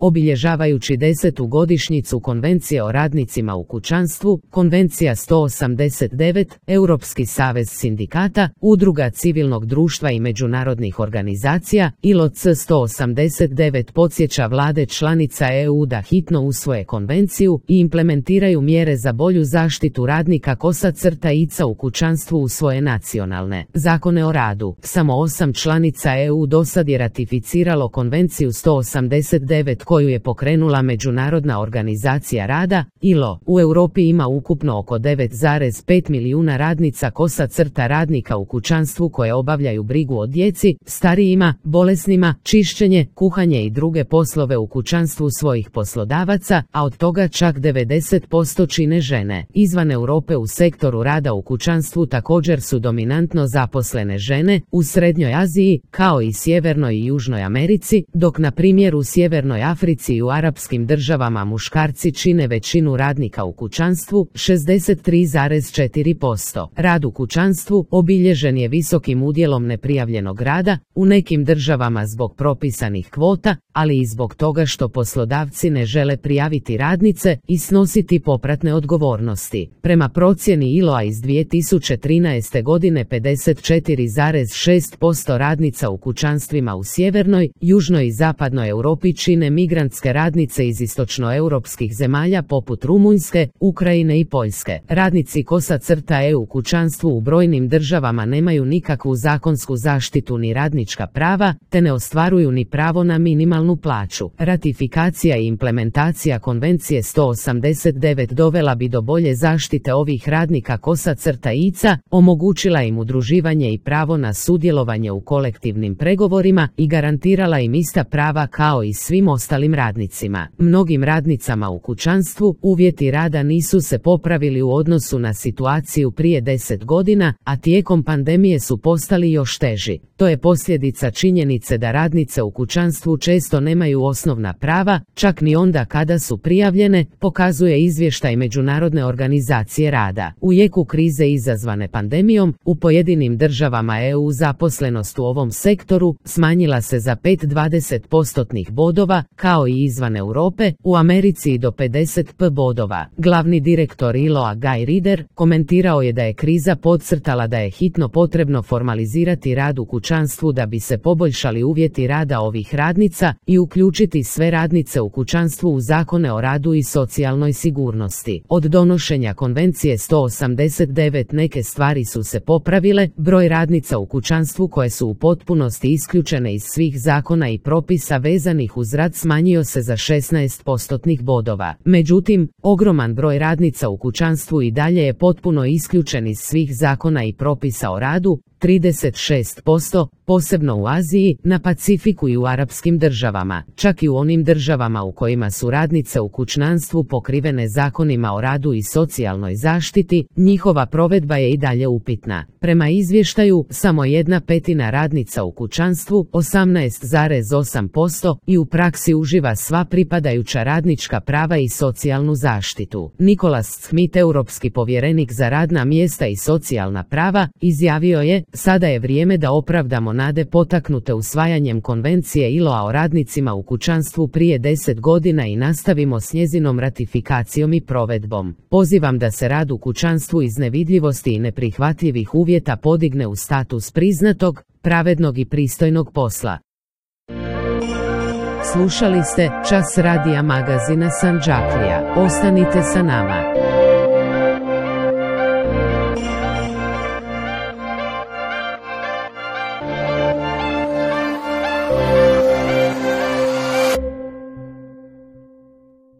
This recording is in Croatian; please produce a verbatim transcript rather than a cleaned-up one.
Obilježavajući desetu godišnjicu Konvencije o radnicima u kućanstvu, Konvencija sto osamdeset devet, Europski savez sindikata, udruga civilnog društva i međunarodnih organizacija, I L O C sto osamdeset devet podsjeća vlade članica E U da hitno usvoje konvenciju i implementiraju mjere za bolju zaštitu radnika kosa-ica u kućanstvu u svoje nacionalne zakone o radu. Samo osam članica E U dosad je ratificiralo Konvenciju sto osamdeset devet koju je pokrenula Međunarodna organizacija rada, I L O. U Europi ima ukupno oko devet zarez pet milijuna radnica kosa-crta radnika u kućanstvu koje obavljaju brigu o djeci, starijima, bolesnima, čišćenje, kuhanje i druge poslove u kućanstvu svojih poslodavaca, a od toga čak devedeset posto čine žene. Izvan Europe u sektoru rada u kućanstvu također su dominantno zaposlene žene, u Srednjoj Aziji, kao i Sjevernoj i Južnoj Americi, dok na primjer u Sjevernoj Africi i u arapskim državama muškarci čine većinu radnika u kućanstvu, šezdeset tri zarez četiri posto. Rad u kućanstvu obilježen je visokim udjelom neprijavljenog rada, u nekim državama zbog propisanih kvota, ali i zbog toga što poslodavci ne žele prijaviti radnice i snositi popratne odgovornosti. Prema procjeni I L O-a iz dvije tisuće trinaeste godine pedeset četiri zarez šest posto radnica u kućanstvima u sjevernoj, južnoj i zapadnoj Europi čine migrantske radnice iz istočnoeuropskih zemalja poput Rumunjske, Ukrajine i Poljske. Radnici kosa-crta E U u kućanstvu u brojnim državama nemaju nikakvu zakonsku zaštitu ni radnička prava, te ne ostvaruju ni pravo na minimalnu plaću. Ratifikacija i implementacija Konvencije sto osamdeset devet dovela bi do bolje zaštite ovih radnika kosa-ica, omogućila im udruživanje i pravo na sudjelovanje u kolektivnim pregovorima i garantirala im ista prava kao i svim ostalim radnicima. Mnogim radnicama u kućanstvu uvjeti rada nisu se popravili u odnosu na situaciju prije deset godina, a tijekom pandemije su postali još teži. To je posljedica činjenice da radnice u kućanstvu često nemaju osnovna prava, čak ni onda kada su prijavljene, pokazuje izvještaj Međunarodne organizacije rada. U jeku krize izazvane pandemijom, u pojedinim državama E U zaposlenost u ovom sektoru smanjila se za pet zarez dvadeset postotnih bodova, kao i izvan Europe, u Americi i do pedeset pet bodova. Glavni direktor I L O-a Guy Ryder komentirao je da je kriza podcrtala da je hitno potrebno formalizirati rad u kućanstvu da bi se poboljšali uvjeti rada ovih radnica i uključiti sve radnice u kućanstvu u zakone o radu i socijalnoj sigurnosti. Od donošenja Konvencije sto osamdeset devet neke stvari su se popravile, broj radnica u kućanstvu koje su u potpunosti isključene iz svih zakona i propisa vezanih uz rad smanjio se za šesnaest postotnih bodova. Međutim, ogroman broj radnica u kućanstvu i dalje je potpuno isključen iz svih zakona i propisa o radu, trideset šest posto, posebno u Aziji, na Pacifiku i u arapskim državama. Čak i u onim državama u kojima su radnice u kućanstvu pokrivene zakonima o radu i socijalnoj zaštiti, njihova provedba je i dalje upitna. Prema izvještaju, samo jedna petina radnica u kućanstvu, osamnaest zarez osam posto, i u praksi uživa sva pripadajuća radnička prava i socijalnu zaštitu. Nicholas Schmidt, europski povjerenik za radna mjesta i socijalna prava, izjavio je: sada je vrijeme da opravdamo nade potaknute usvajanjem Konvencije I L O-a o radnicima u kućanstvu prije deset godina i nastavimo s njezinom ratifikacijom i provedbom. Pozivam da se rad u kućanstvu iz nevidljivosti i neprihvatljivih uvjeta podigne u status priznatog, pravednog i pristojnog posla. Slušali ste Čas radija magazina Sandžaklija. Ostanite sa nama.